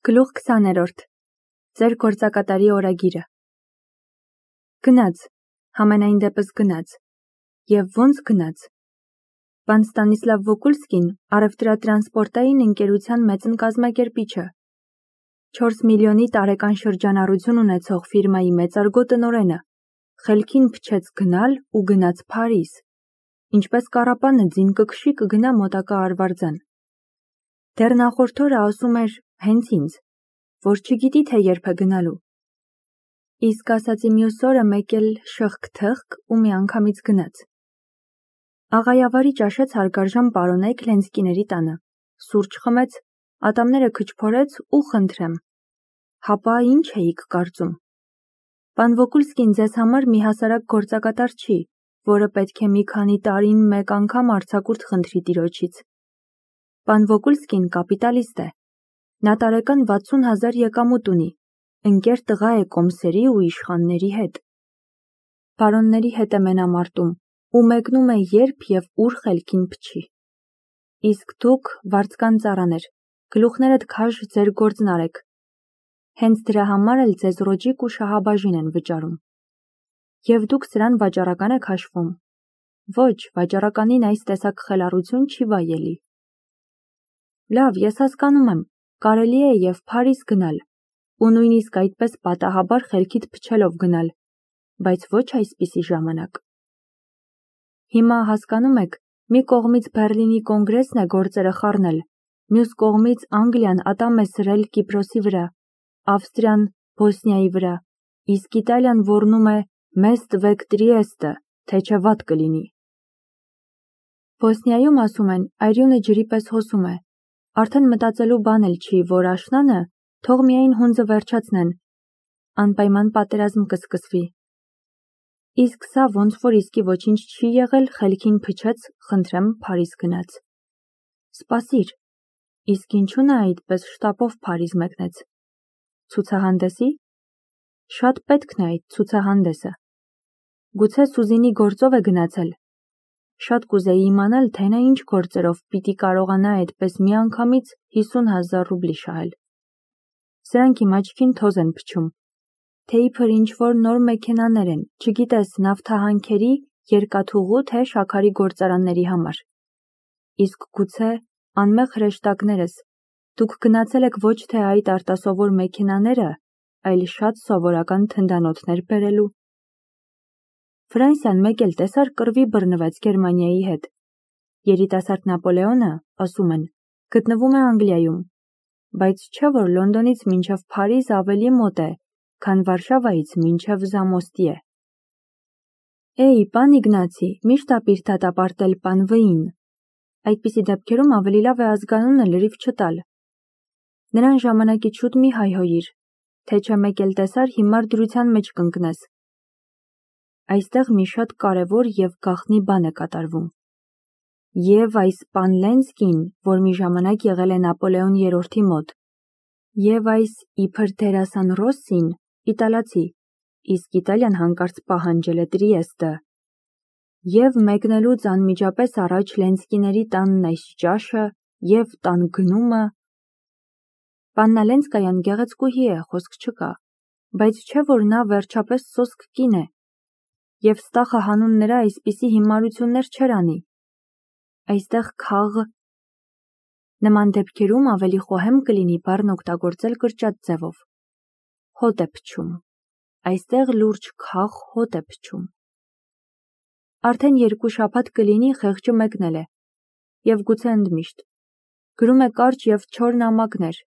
Գլուխ 20-րդ Ձեր գործակատարի օրագիրը Գնաց, համենայն դեպս գնաց, և ոնց գնաց։ Պան Ստանիսլավ Վոկուլսկին առևտրատրանսպորտային ընկերության մեծն կազմակերպիչը, 4 միլիոնի տարեկան շրջանառություն ունեցող ֆիրմայի մեծարգո տնօրենը, խելքին փչեց գնալ ու գնաց Փարիզ, ինչպես կառապանը ձին կքշի կգնա մոտակա Արվարձան։ Դեռ նախորդ օրը ասում էր հենց ինձ, որ չգիտի թե երբ է գնալու։ Իսկ ասացի մյուս օրը մեկ էլ շըխկ-թըխկ ու միանգամից գնաց։ Աղայավարի ճաշեց հարգարժան պարոնեկ Լենսկիների տանը, սուրճ խմեց, ատամները քչփորեց ու խնդրեմ։ Հապա ինչ էիք կարծում։ Պան Վոկուլսկին ձեզ համար մի հասարակ գործակատար չի, որը պետք է մի քանի տարին մեկ անգամ արձակուրդ խնդրի տիրոջից։ Պան Վոկուլսկին կապիտալիստ է։ Նա տարեկան 60,000 եկամուտ ունի, ընկեր տղա է կոմսերի ու իշխանների հետ։ Բարոնների հետ է մենամարտում ու մեկնում է երբ և ուր խելքին փչի։ Իսկ դուք վարձկան ծառաներ, գլուխներդ քաշ ձեր գործն արեք։ Հենց դրա համար էլ ձեզ ռոճիկ ու շահաբաժին են վճարում։ Եվ դուք սրան վաճառական եք հաշվում։ Ոչ, վաճառականին այս տեսակ խելառություն չի վայելի։ Լավ, ես հասկանում եմ, կարելի է և Փարիզ գնալ, ու նույնիսկ այդպես պատահաբար խելքիդ փչելով գնալ, բայց ոչ այսպիսի ժամանակ։ Հիմա հասկանում եք, մի կողմից Բեռլինի կոնգրեսն է գործերը խառնել, մյուս կողմից Անգլիան ատամ է սրել Կիպրոսի վրա, Ավստրիան Բոսնիայի վրա, իսկ Իտալիան ոռնում է մեզ տվեք Տրիեստը, թե չէ վատ կլինի։ Բոսնիայում ասում են, այրյունը ջրի պես հոսում է, արդեն մտածելու բան էլ չի, որ աշնանը թող միայն հունձը վերջացնեն, անպայման պատերազմ կսկսվի։ Իսկ սա ոնց որ իսկի ոչինչ չի եղել, խելքին փչեց, խնդրեմ Փարիզ գնաց։ Սպասիր, իսկ ինչու նա այդպես շտապով Փարիզ մեկնեց։ Ցուցահանդեսի։ Շատ պետքն է այդ ցուցահանդեսը։ Գուցե Սուզինի գործով է գնացել։ Շատ կուզեի իմանալ, թե նա ինչ գործերով պիտի կարողանա այդպես միանգամից 50,000 ռուբլի շահել։ Սրանք իմ աչքին թոզ են փչում, թե իբր ինչ-որ նոր մեքենաներ են, չգիտես, նավթահանքերի, երկաթուղու, թե շաքարի գործարանների համար։ Իսկ գուցե, անմեղ հրեշտակներս, դուք գնացել եք ոչ թե այդ արտասովոր մեքենաները, այլ շատ սովորական թնդանոթներ բերելու։ Ֆրանսիան մեկ էլ տեսար կռվի բռնվեց Գերմանիայի հետ։ Երիտասարդ Նապոլեոնը, ասում են, գտնվում է Անգլիայում, բայց չէ որ Լոնդոնից մինչև Փարիզ ավելի մոտ է, քան Վարշավայից մինչև Զամոստի է։ Էй, պան Իգնացի, միշտ ապիր դատապարտել պան Վ-ին։ Այդպիսի դեպքերում ավելի լավ է ազգանունը լրիվ չտալ։ Նրան ժամանակից շուտ մի հայհոյիր, թե չէ մեկ էլ տեսար հիմար դրության մեջ կընկնես։ Այստեղ մի շատ կարևոր և գաղտնի բան է կատարվում։ Եվ այս պան Լենսկին, որ մի ժամանակ եղել է Նապոլեոն III-ի մոտ, և այս իբր դերասան Ռոսսին, իտալացի, իսկ Իտալիան հանկարծ պահանջել է Տրիեստը, և մեկնելուց անմիջապես առաջ Լենսկիների տանն այս ճաշը, և տան գնումը։ Պաննա Լենսկայան գեղեցկուհի է, խոսք չկա, բայց չէ որ նա վերջապես սոսկ կին է, և Ստախը հանուն նրա այսպիսի հիմարություններ չէր անի։ Այստեղ քաղ։ Նման դեպքերում ավելի խոհեմ կլինի բառն օգտագործել կրճատ ձևով։ Հոտ է փչում։ Այստեղ լուրջ քաղ հոտ է փչում։ Արդեն 2 շաբաթ կլինի խեղճը մեկնել է, և գուցե ընդմիշտ։ Գրում է կարճ և չոր նամակներ,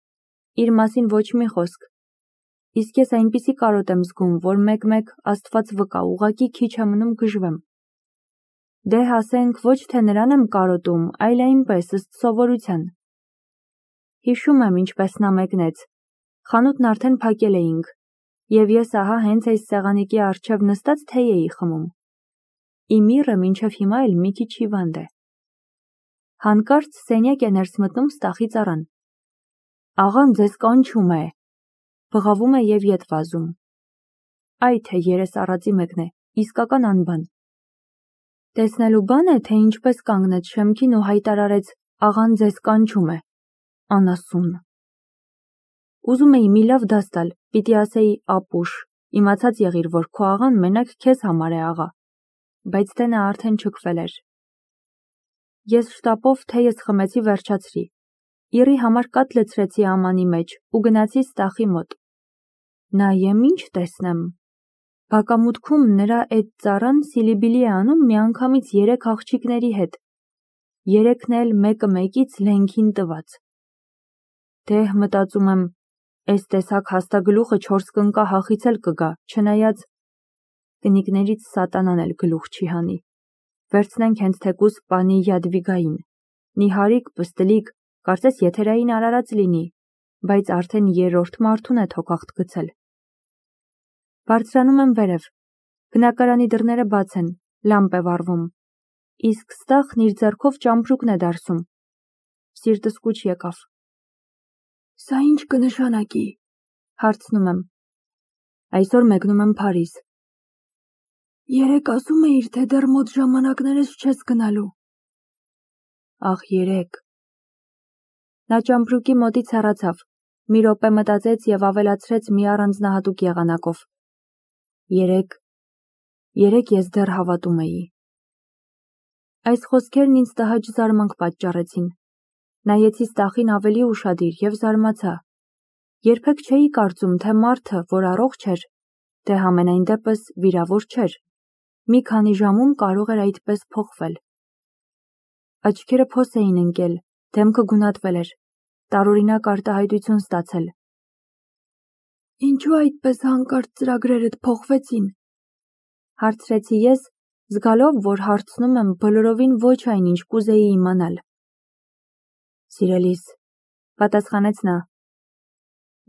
իր մասին ոչ մի խոսք։ Իսկ ես այնպիսի կարոտ եմ զգում, որ մեկ-մեկ Աստված վկա, ուղղակի քիչ է մնում գժվեմ։ Դե ասենք, ոչ թե նրան եմ կարոտում, այլ այնպես, ըստ սովորության։ Հիշում եմ, ինչպես նա մեկնեց, խանութն արդեն փակել էինք, և ես ահա հենց այս սեղանիկի առջև նստած թեյ էի խմում։ Իմ միրը մինչև հիմա էլ մի քիչ հիվանդ է։ Հանկարծ սենյակ է ներս մտնում Ստախի ծառան։ Աղան ձեզ կանչում է։ Բղավում է և ետ վազում։ Այ թե երես առածի մեկն է, իսկական անբան։ Տեսնելու բան է, թե ինչպես կանգնեց շեմքին ու հայտարարեց. աղան ձեզ կանչում է, անասուն։ Ուզում էի մի լավ դաս տալ, պիտի ասեի ապուշ, իմացած եղիր, որ քո աղան մենակ քեզ համար է աղա, բայց թե նա արդեն չքվել էր։ Ես շտապով թեյս խմեցի վերջացրի, իրի համար կաթ լցրեցի ամանի մեջ ու գնացի Ստախի մոտ։ Նայեմ ինչ տեսնեմ։ Բակամուտքում նրա էդ ծառան սիլիբիլի է անում միանգամից 3 աղջիկների հետ, 3-ն էլ մեկը մեկից լենքին տված։ Դե մտածում եմ, էս տեսակ հաստագլուխը 4 կնկա հախից էլ կգա, չնայած կնիկներից սատանան էլ գլուխ չի հանի։ Վերցնենք հենց թեկուս պանի Յադվիգային, նիհարիկ, պստլիկ, կարծես եթերային արարած լինի, բայց արդեն 3-րդ մարդուն է թոքախտ գցել։ Բարձրանում եմ վերև, բնակարանի դռները բաց են, լամպ է վառվում, իսկ Ստախն իր ձեռքով ճամպրուկն է դարսում։ Սիրտս կուչ եկավ։ Սա ինչ կնշանակի, հարցնում եմ։ Այսօր մեկնում եմ Փարիզ։ Երեկ ասում էիր, թե դեռ մոտ ժամանակներս չես գնալու։ Ախ, երեկ։ Նա ճամպրուկի մոտից հեռացավ, մի րոպե մտածեց եւ ավելացրեց մի առանձնահատուկ եղանակով։ Երեկ ես դեռ հավատում էի։ Այս խոսքերն ինձ տհաճ զարմանք պատճառեցին։ Նայեցի Ստախին ավելի ուշադիր եւ զարմացա։ Երբեք չէի կարծում, թե մարդը, որ առողջ էր, դե համենայն դեպս վիրավոր չէր, մի քանի ժամում կարող էր այդպես փոխվել։ Աչքերը փոս էին ընկել, դեմքը գունատվել էր, տարօրինակ արտահայտություն ստացել։ Ինչու այդպես հանկարծ ծրագրերդ փոխվեցին, հարցրեցի ես, զգալով, որ հարցնում եմ բոլորովին ոչ այն, ինչ կուզեի իմանալ։ Սիրելիս, պատասխանեց նա,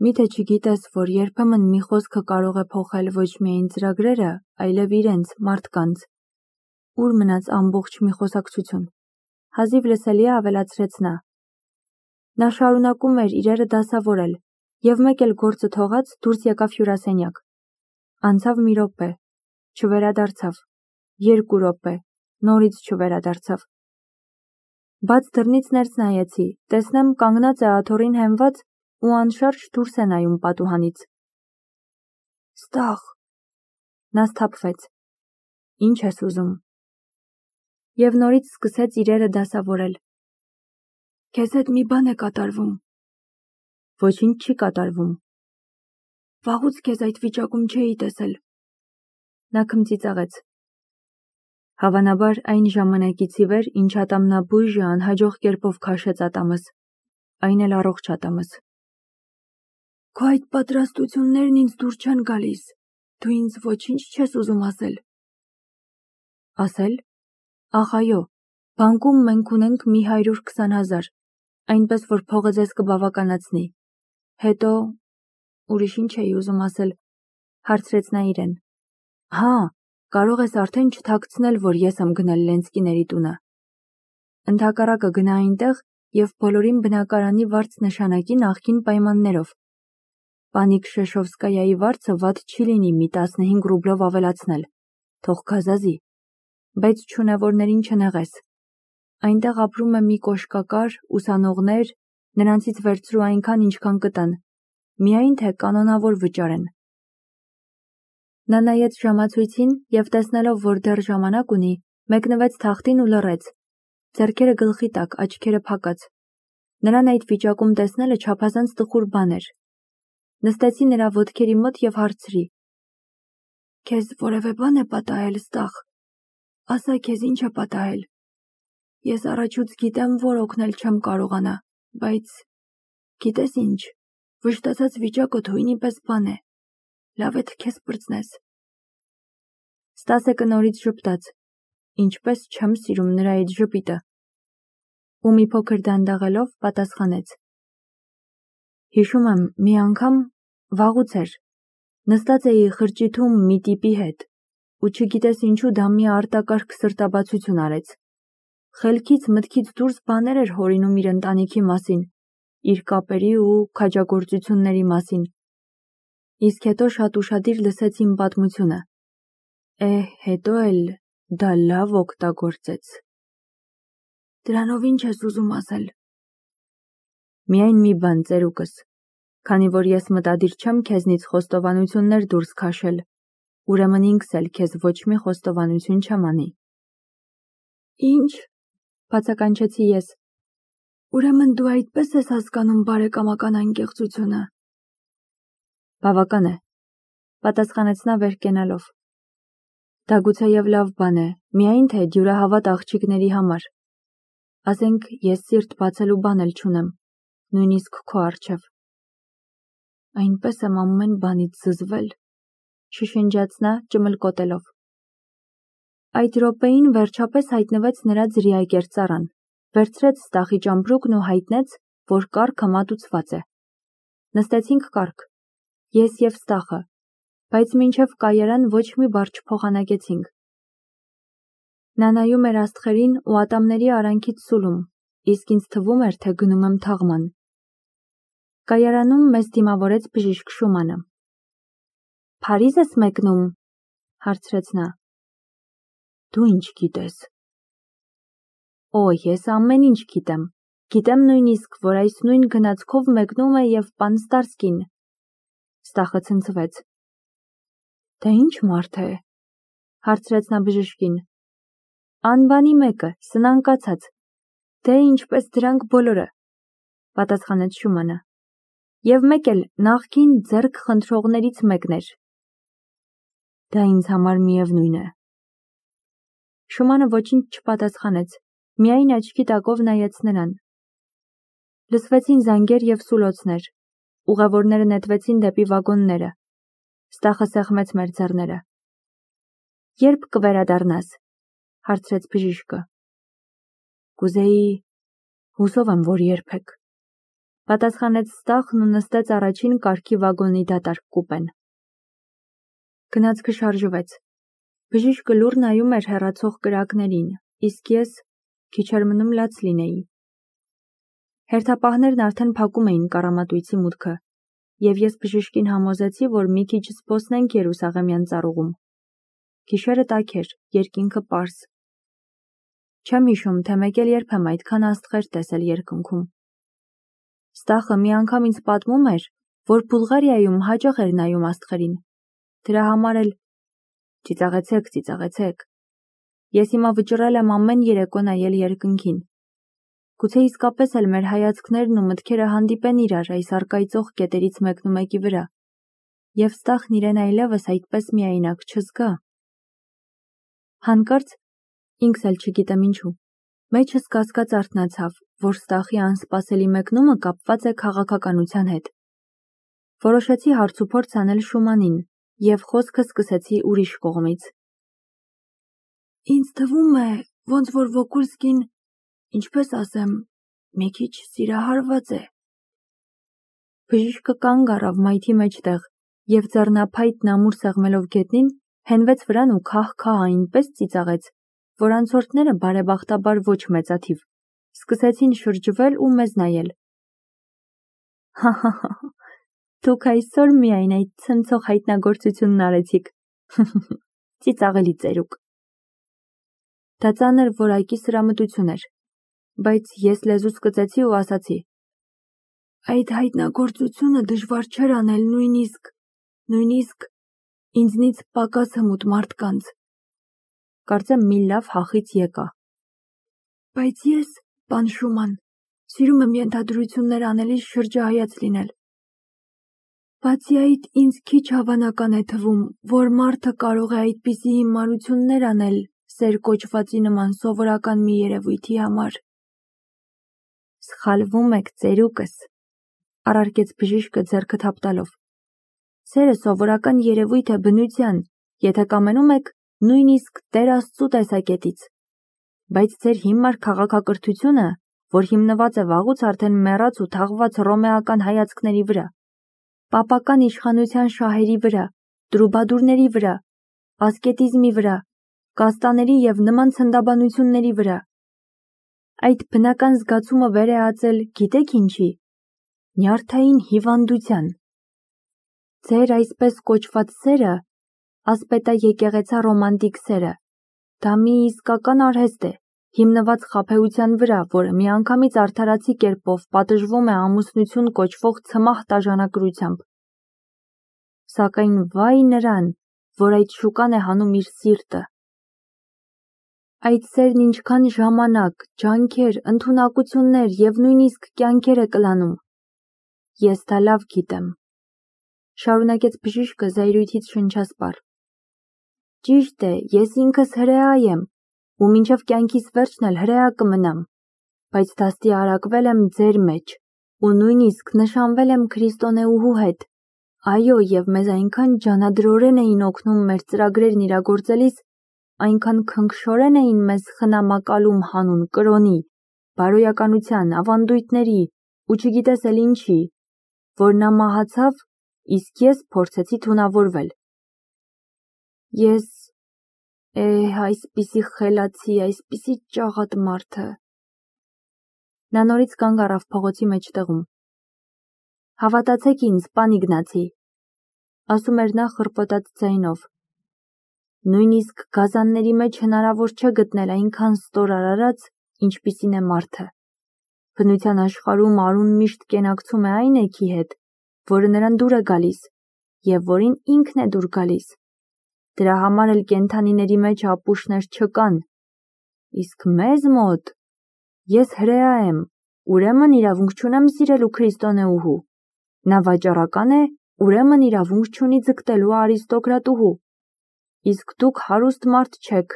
միթե չգիտես, որ երբեմն մի խոսքը կարող է փոխել ոչ միայն ծրագրերը, այլև իրենց, մարդկանց։ Ուր մնաց ամբողջ մի խոսակցություն, հազիվ լսելի ավելացրեց նա։ Նա շարունակում էր իրերը դասավորել, եւ մեկ էլ գործը թողած դուրս եկավ հյուրասենյակ։ Անցավ մի րոպե, չվերադարձավ, 2 րոպե, նորից չվերադարձավ։ Բաց դռնից ներս նայեցի, տեսնեմ կանգնած է աթոռին հենված ու անշարժ դուրս է նայում պատուհանից։ Ստախ, նա սթափվեց։ Ինչ ես ուզում։ Եվ նորից սկսեց իրերը դասավորել։ Քեզ հետ մի բան է կատարվում։ Ոչինչ չի կատարվում։ Վաղուց քեզ այդ վիճակում չէի տեսել։ Նա քմծիծաղեց։ Հավանաբար այն ժամանակից ի վեր, ինչ ատամնաբույժը անհաջող կերպով քաշեց ատամս, այն էլ առողջ ատամս։ Քո այդ պատրաստություններն ինձ դուր չեն գալիս, դու ինձ ոչինչ չես ուզում ասել։ Ասել։ Ախ այո, բանկում մենք ունենք մի 120,000, այնպես որ փողը ձեզ կբավականացնի։ Հետո ուրիշ ինչ էի ուզում ասել, հարցրեց նա իրեն։ Հա, կարող ես արդեն չթաքցնել, որ ես եմ գնել Լենսկիների տունը։ Ընդհակառակը գնա այնտեղ եւ բոլորին բնակարանի վարձ նշանակի նախկին պայմաններով։ Պանի Քշեշովսկայայի վարձը վատ չի լինի մի 15 ռուբլով ավելացնել, թող գազազի, բայց չունևորներին չնեղես։ Այնտեղ ապրում է մի կոշկակար, ուսանողներ, նրանցից վերցրու այնքան, ինչքան կտան, միայն թե կանոնավոր վճարեն։ Նա նայեց ժամացույցին եւ տեսնելով, որ դեռ ժամանակ ունի, մեկնվեց թախտին ու լռեց, ձեռքերը գլխի տակ, աչքերը փակած։ Նրան այդ վիճակում տեսնելը չափազանց տխուր բան էր։ Նստեցի նրա ոտքերի մոտ եւ հարցրի. Քեզ որևէ բան է պատահել, Ստախ։ Ասա քեզ ինչ է պատահել։ Ես առաջուց գիտեմ, որ օգնել չեմ կարողանա, բայց գիտես ինչ, վշտացած վիճակը թույնի պես բան է։ Լավ է թե քեզ պրծնես։ Ստասեկը նորից ժպտաց, ինչպես չեմ սիրում նրա այդ ժպիտը։ Ու մի փոքր դանդաղելով պատասխանեց. Հիշում եմ, մի անգամ վաղուց էր, նստած էի խրճիթում մի տիպի հետ, ու չգիտես ինչու դա մի արտակարգ սրտաբացություն արեց։ Խելքից մտքից դուրս բաներ էր հորինում իր ընտանիքի մասին, իր կապերի ու քաջագործությունների մասին։ Իսկ հետո շատ ուշադիր լսեց իմ պատմությունը։ Հետո էլ դա լավ օգտագործեց։ Դրանով ինչ ես ուզում ասել։ Միայն մի բան, ծերուկս, Քանի որ ես մտադիր չեմ քեզնից խոստովանություններ դուրս քաշել, ուրեմն ինքս էլ քեզ ոչ մի խոստովանություն չեմ անի։ Ինչ, Բացականչեցի ես։ ուրեմն դու այդպես ես հասկանում բարեկամական անկեղծությունը։ Բավական է, պատասխանեց նա վեր կենալով։ Դա գուցեև լավ բան է, միայն թե դյուրահավատ աղջիկների համար։ Ասենք, ես սիրտ բացելու բան էլ չունեմ, նույնիսկ քո առջև։ Այնպես եմ ամեն բանից զզվել, շշնջաց նա ճմլկոտելով։ Այդ րոպեին վերջապես հայտնվեց նրա ձրիակեր ծառան, վերցրեց Ստախի ճամպրուկն ու հայտնեց, որ կառքը մատուցված է։ Նստեցինք կառք, ես և Ստախը, բայց մինչև կայարան ոչ մի բառ չփոխանակեցինք։ Նա նայում էր աստղերին ու ատամների արանքից սուլում, իսկ ինձ թվում էր, թե գնում եմ թաղման։ Կայարանում մեզ դիմավորեց բժիշկ Շումանը։ Փարիզ ես մեկնում, հարցրեց նա։ Դու ինչ գիտես։ Օ, ես ամեն ինչ գիտեմ։ Գիտեմ նույնիսկ, որ այս նույն գնացքով մեկնում է և պան Ստարսկին։ Ստախը ցնցվեց։ Դա ինչ մարդ է, հարցրեց նա բժշկին։ Անբանի մեկը, սնանկացած։ Դե ինչպես դրանք բոլորը, պատասխանեց Շումանը։ Եվ մեկ էլ նախկին ձեռք խնդրողներից մեկն էր։ Դա ինձ համար միևնույն է։ Շումանը ոչինչ չպատասխանեց, միայն աչքի տակով նայեց նրան։ Լսվեցին զանգեր և սուլոցներ, ուղևորները նետվեցին դեպի վագոնները։ Ստախը սեղմեց մեր ձեռները։ Երբ կվերադառնաս, հարցրեց բժիշկը։ Կուզեի, հուսով եմ, որ երբեք, պատասխանեց Ստախն ու նստեց առաջին կարգի վագոնի դատարկ կուպեն։ Գնացքը շարժվեց։ Բժիշկը լուռ նայում էր հեռացող կրակներին, իսկ ես քիչ էր մնում լաց լինեի։ Հերթապահներն արդեն փակում էին կառամատույցի մուտքը, և ես բժշկին համոզեցի, որ մի քիչ զբոսնենք Երուսաղեմյան ծառուղում։ Գիշերը տաք էր, երկինքը պարզ։ Չեմ հիշում, թե մեկ էլ երբ եմ այդքան աստղեր տեսել երկնքում։ Ստախը մի անգամ ինձ պատմում էր, որ Բուլղարիայում հաճախ էր նայում աստղերին։ Դրա համար էլ ծիծաղեցեք։ Ես հիմա վճռել եմ ամեն երեկո նայել երկնքին։ Գուցե իսկապես էլ մեր հայացքներն ու մտքերը հանդիպեն իրար այս առկայծող կետերից մեկնումեկի վրա, և Ստախն իրեն այլևս այդպես միայնակ չզգա։ Հանկարծ, ինքս էլ չգիտեմ ինչու, մեջս կասկած արթնացավ, որ Ստախի անսպասելի մեկնումը կապված է քաղաքականության հետ։ Որոշեցի հարցուփորձ անել Շումանին և խոսքը սկսեցի ուրիշ կողմից։ Ինձ թվում է, ոնց որ Վոկուլսկին, ինչպես ասեմ, մի քիչ սիրահարված է։ Բժիշկը կանգ առավ մայթի մեջտեղ և ձեռնափայտն ամուր սեղմելով գետնին, հենվեց վրան ու քահ-քահ այնպես ծիծաղեց, որ անցորդները բարեբախտաբար ոչ մեծաթիվ, սկսեցին շրջվել ու մեզ նայել։ Հա, դուք այսօր միայն այդ ցնցող հայտնագործությունն արեցիք, ծիծաղելի ծերուկ։ Դա ծանր որակի սրամտություն էր, բայց ես լեզուս կծեցի ու ասացի. Այդ հայտնագործությունը դժվար չէր անել նույնիսկ ինձնից պակաս հմուտ մարդկանց։ Կարծեմ մի լավ հախից եկա։ Բայց ես, պան Շուման, սիրում եմ ենթադրություններ անելիս շրջահայաց լինել։ Բացի այդ, ինձ քիչ հավանական է թվում, որ մարդը կարող է այդպիսի հիմարություններ անել սեր կոչվածի նման սովորական մի երևույթի համար։ Սխալվում եք, ծերուկս, առարկեց բժիշկը ձեռքը թափտալով։ Սերը սովորական երևույթ է բնության, եթե կամենում եք, նույնիսկ Տեր Աստծու տեսակետից։ Բայց ձեր հիմար քաղաքակրթությունը, որ հիմնված է վաղուց արդեն մեռած ու թաղված հռոմեական հայացքների վրա, պապական իշխանության շահերի վրա, տրուբադուրների վրա, ասկետիզմի վրա, կաստաների և նման ցնդաբանությունների վրա։ Այդ բնական զգացումը վեր է ածել, գիտեք ինչի, նյարդային հիվանդության։ Ձեր այսպես կոչված սերը, ասպետա եկեղեցա ռոմանտիկ սերը, դա մի իսկական արհեստ է, հիմնված խաբեության վրա, որը միանգամից արդարացի կերպով պատժվում է ամուսնություն կոչվող ցմահ տաժանակրությամբ։ Սակայն վայ նրան, որ այդ շուկան է հանում իր սիրտը։ Այդ սերն ինչքան ժամանակ, ջանքեր, ընդունակություններ և նույնիսկ կյանքեր է կլանում։ Ես դա լավ գիտեմ, շարունակեց բժիշկը զայրույթից շնչասպառ։ Ճիշտ է, ես ինքս հրեա եմ, ու մինչև կյանքիս վերջն էլ հրեա կմնամ, բայց դաստիարակվել եմ ձեր մեջ, ու նույնիսկ նշանվել եմ քրիստոնեուհու հետ։ Այո, և մեզ այնքան ջանադրորեն էին օգնում մեր ծրագրերն իրագործելիս, այնքան քնքշորեն էին մեզ խնամակալում հանուն կրոնի, բարոյականության, ավանդույթների ու չգիտես էլ ինչի, որ նա մահացավ, իսկ ես փորձեցի թունավորվել։ Ես այսպիսի խելացի, այսպիսի ճաղատ մարդը։ Նա նորից կանգ առավ փողոցի մեջտեղում։ Հավատացեք ինձ, պան Իգնացի, ասում էր նա խռպոտած ձայնով։ Նույնիսկ գազանների մեջ հնարավոր չէ գտնել այնքան ստոր արարած, ինչպիսին է մարդը։ Բնության աշխարհում արուն միշտ կենակցում է այն էքի հետ, որը նրան դուր է գալիս, և որին ինքն է դուր գալիս։ Դրա համար էլ կենդանիների մեջ ապուշներ չկան։ Իսկ մեզ մոտ ես հրեա եմ, ուրեմն իրավունք չունեմ սիրելու քրիստոնեուհու։ Նա վաճառական է, ուրեմն իրավունք չունի ձգտելու արիստոկրատուհու։ Իսկ դուք հարուստ մարդ չեք,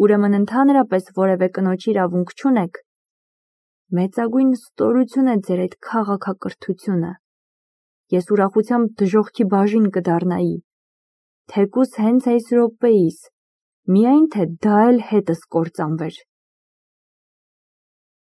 ուրեմն ընդհանրապես որևէ կնոջ իրավունք չունեք։ Մեծագույն ստորություն է ձեր այդ քաղաքակրթությունը։ Ես ուրախությամբ դժոխքի բաժին կդառնայի, թեկուզ հենց այս րոպեիս, միայն թե դա էլ հետս կործանվեր։